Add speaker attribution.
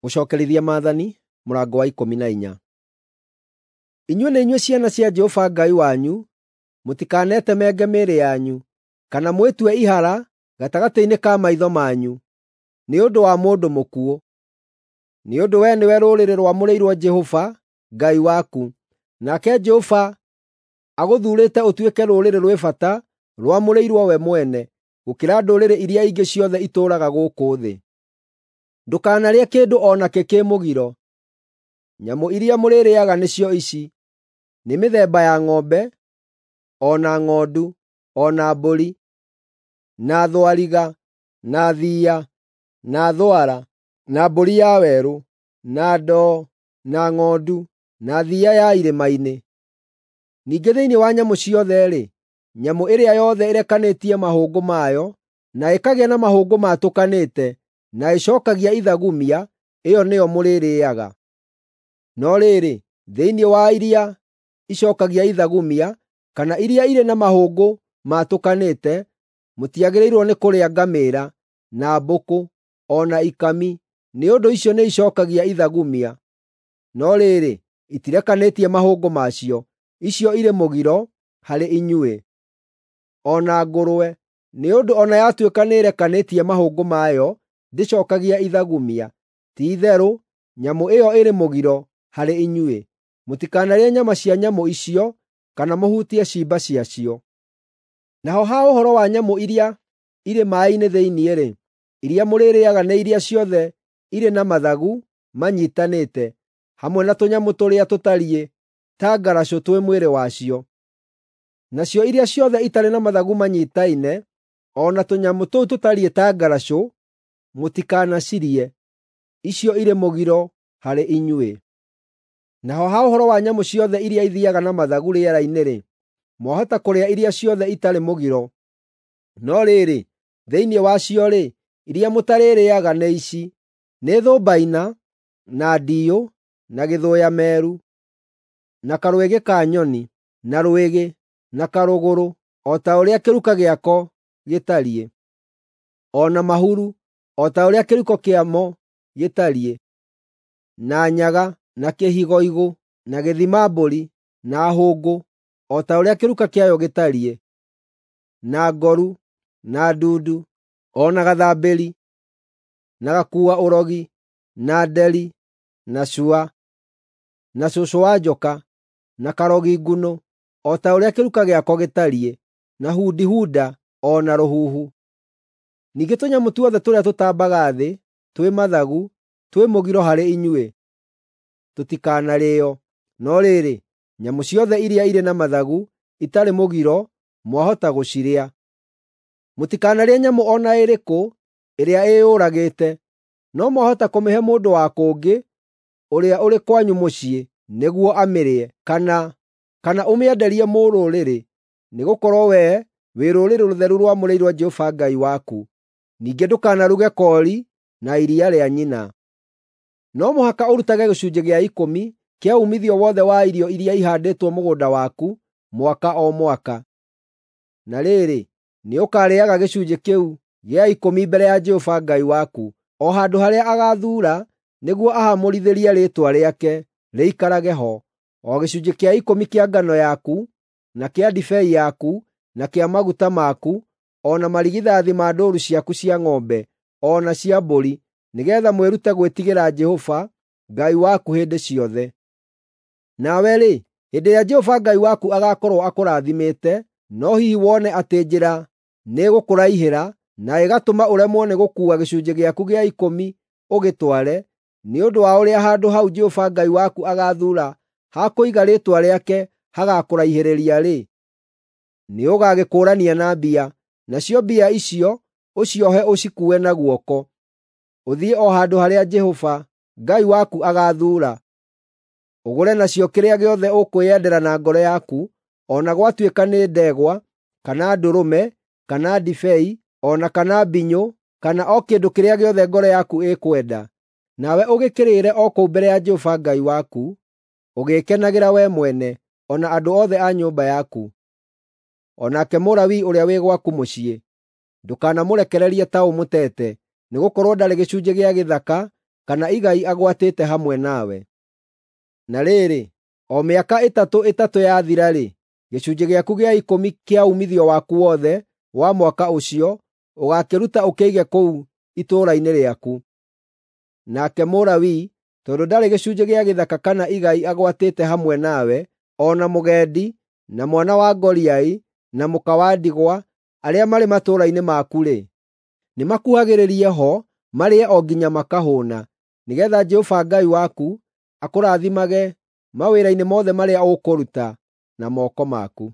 Speaker 1: Gũcookerithia Maathani mũrango wa 14. Inyuĩ nĩ inyuĩ ciana cia Jehova Ngai wanyu. Mũtikanetemenge mĩĩrĩ yanyu, kana mwĩtue ihara gatagatĩ-inĩ ka maitho manyu, nĩ ũndũ wa mũndũ mũkuũ. Nĩ ũndũ wee nĩwe rũrĩrĩ rwamũrĩirwo Jehova Ngai waku, nake Jehova agũthuurĩte ũtuĩke rũrĩrĩ rwĩ bata rwamũrĩirwo we mwene, gũkĩra ndũrĩrĩ iria ingĩ ciothe itũũraga gũkũ thĩ. Ndũkanarĩe kĩndũ o nakĩ kĩ mũgiro. Nyamũ iria mũrĩrĩĩaga nĩcio ici: nĩ mĩthemba ya ng'ombe, o na ng'ondu, o na mbũri, na thwariga, na thiiya, na thwara, na mbũri ya werũ, na ndoo, na ng'ondu, na thiiya ya irĩma-inĩ. Ningĩ thĩinĩ wa nyamũ ciothe-rĩ, nyamũ ĩrĩa yothe ĩrekanĩtie mahũngũ mayo, na ĩkagĩa na mahũngũ maatũkanĩte, na ĩcookagia ithagumia, ĩyo nĩyo mũrĩrĩĩaga. No rĩrĩ, thĩinĩ wa iria icookagia ithagumia, kana iria irĩ na mahũngũ maatũkanĩte, mũtiagĩrĩirwo nĩ kũrĩa ngamĩĩra, na mbũkũ, o na ikami, nĩ ũndũ icio nĩicookagia ithagumia. No rĩrĩ, itirekanĩtie mahũngũ macio; icio irĩ mũgiro harĩ inyuĩ. O na ngũrwe, nĩ ũndũ o na yatuĩka nĩĩrekanĩtie mahũngũ mayo, ndĩcookagia ithagumia. Ti-itherũ nyamũ ĩyo ĩrĩ mũgiro harĩ inyuĩ. Mũtikanarĩe nyama cia nyamũ icio, kana mũhutie ciimba ciacio. Naho ha ũhoro wa nyamũ iria irĩ maaĩ-inĩ thĩinĩ-rĩ, iria mũrĩrĩĩaga nĩ iria ciothe irĩ na mathagu manyiitanĩte, hamwe na tũnyamũ tũrĩa tũtariĩ ta ngaracũ twĩ mwĩrĩ wacio. Nacio iria ciothe itarĩ na mathagu manyiitaine, o na tũnyamũ tũu tũtariĩ ta ngaracũ, mũtikanacirĩe; icio irĩ mũgiro harĩ inyuĩ. Naho ha ũhoro wa nyamũ ciothe iria ithiiaga na mathagu rĩera-inĩ-rĩ, mwahota kũrĩa iria ciothe itarĩ mũgiro. No rĩrĩ, thĩinĩ wacio-rĩ, iria mũtarĩrĩĩaga nĩ ici: nĩ thũmbaina, na ndiyũ, na gĩthũya-meru, na karwĩgĩ ka nyoni, na rwĩgĩ, na karũgũrũ, o ta ũrĩa kĩruka gĩako gĩtariĩ, o na mahuru, o ta ũrĩa kĩruka kĩamo gĩtariĩ, na nyaga, na kĩhigoigũ, na gĩthima-mbũri, na hũngũ, o ta ũrĩa kĩruka kĩayo gĩtariĩ, na ngoru, na ndundu, o na gathambĩri, na gakuua-ũrogi, na nderi, na cua, na cũcũ wa njoka, na karogi ngunũ, o ta ũrĩa kĩruka gĩako gĩtariĩ, na hudihuda, o na rũhuhu. Ningĩ tũnyamũ tuothe tũrĩa tũtambaga thĩ, twĩ mathagu, twĩ mũgiro harĩ inyuĩ; tũtikanarĩĩo. No rĩrĩ, nyamũ ciothe iria irĩ na mathagu, itarĩ mũgiro, mwahota gũcirĩa. Mũtikanarĩe nyamũ o na ĩrĩkũ ĩrĩa ĩyũragĩte, no mwahota kũmĩhe mũndũ wa kũngĩ ũrĩa ũrĩ kwanyu mũciĩ nĩguo amĩrĩe, kana ũmĩenderie mũrũrĩrĩ, nĩgũkorwo wee wĩ rũrĩrĩ rũtheru rwamũrĩirwo Jehova Ngai waku. Ningĩ ndũkanaruge koori na iria rĩa nyina. No mũhaka ũrutage gĩcunjĩ gĩa ikũmi kĩa uumithio wothe wa irio iria ihaandĩtwo mũgũnda waku mwaka o mwaka. Na rĩrĩ, nĩũkarĩĩaga gĩcunjĩ kĩu gĩa ikũmi mbere ya Jehova Ngai waku, o handũ harĩa agaathuura nĩguo ahaamũrithĩrie Rĩĩtwa rĩake rĩikarage ho, o gĩcunjĩ kĩa ikũmi kĩa ngano yaku, na kĩa ndibei yaku, na kĩa maguta maku, o na marigithathi ma ndũũru ciaku cia ng'ombe, o na cia mbũri, nĩgeetha mwĩrute gwĩtigĩra Jehova Ngai waku hĩndĩ ciothe. Nawe-rĩ, hĩndĩ ĩrĩa Jehova Ngai waku agaakorwo akũrathimĩte, no hihi wone atĩ njĩra nĩĩgũkũraihĩra na ĩgatũma ũremwo nĩ gũkuua gĩcunjĩ gĩaku gĩa ikũmi ũgĩtware, nĩ ũndũ wa ũrĩa handũ hau Jehova Ngai waku agaathuura ha kũiga Rĩĩtwa rĩake hagakũraihĩrĩria-rĩ, nĩũgagĩkũũrania na mbia, nacio mbia icio ũciohe ũcikuue na guoko, ũthiĩ o handũ harĩa Jehova Ngai waku agaathuura. Ũgũre nacio kĩrĩa gĩothe ũkwĩyendera na ngoro yaku, o na gwatuĩka nĩ ndegwa, kana ndũrũme, kana ndibei, o na kana mbinyũ, kana o kĩndũ kĩrĩa gĩothe ngoro yaku ĩkwenda. Nawe ũgĩkĩrĩĩre o kũu mbere ya Jehova Ngai waku, ũgĩĩkenagĩra wee mwene, o na andũ othe a nyũmba yaku. O nake Mũlawii ũrĩa wĩ gwaku mũciĩ, ndũkanamũrekererie ta ũmũteete, nĩgũkorwo ndarĩ gĩcunjĩ gĩa gĩthaka kana igai agwatĩte hamwe nawe. Na rĩrĩ, o mĩaka ĩtatũ ĩtatũ yathira-rĩ, gĩcunjĩ gĩaku gĩa ikũmi kĩa uumithio waku wothe wa mwaka ũcio ũgaakĩruta ũkĩige kũu itũũra-inĩ rĩaku. Nake Mũlawii, tondũ ndarĩ gĩcunjĩ gĩa gĩthaka kana igai agwatĩte hamwe nawe, o na mũgendi, na mwana wa ngoriai, na mũka wa ndigwa, arĩa marĩ matũũra-inĩ maku-rĩ, nĩmakuhagĩrĩrie ho marĩe o nginya makahũũna, nĩgeetha Jehova Ngai waku akũrathimage mawĩra-inĩ mothe marĩa ũkũruta na moko maku.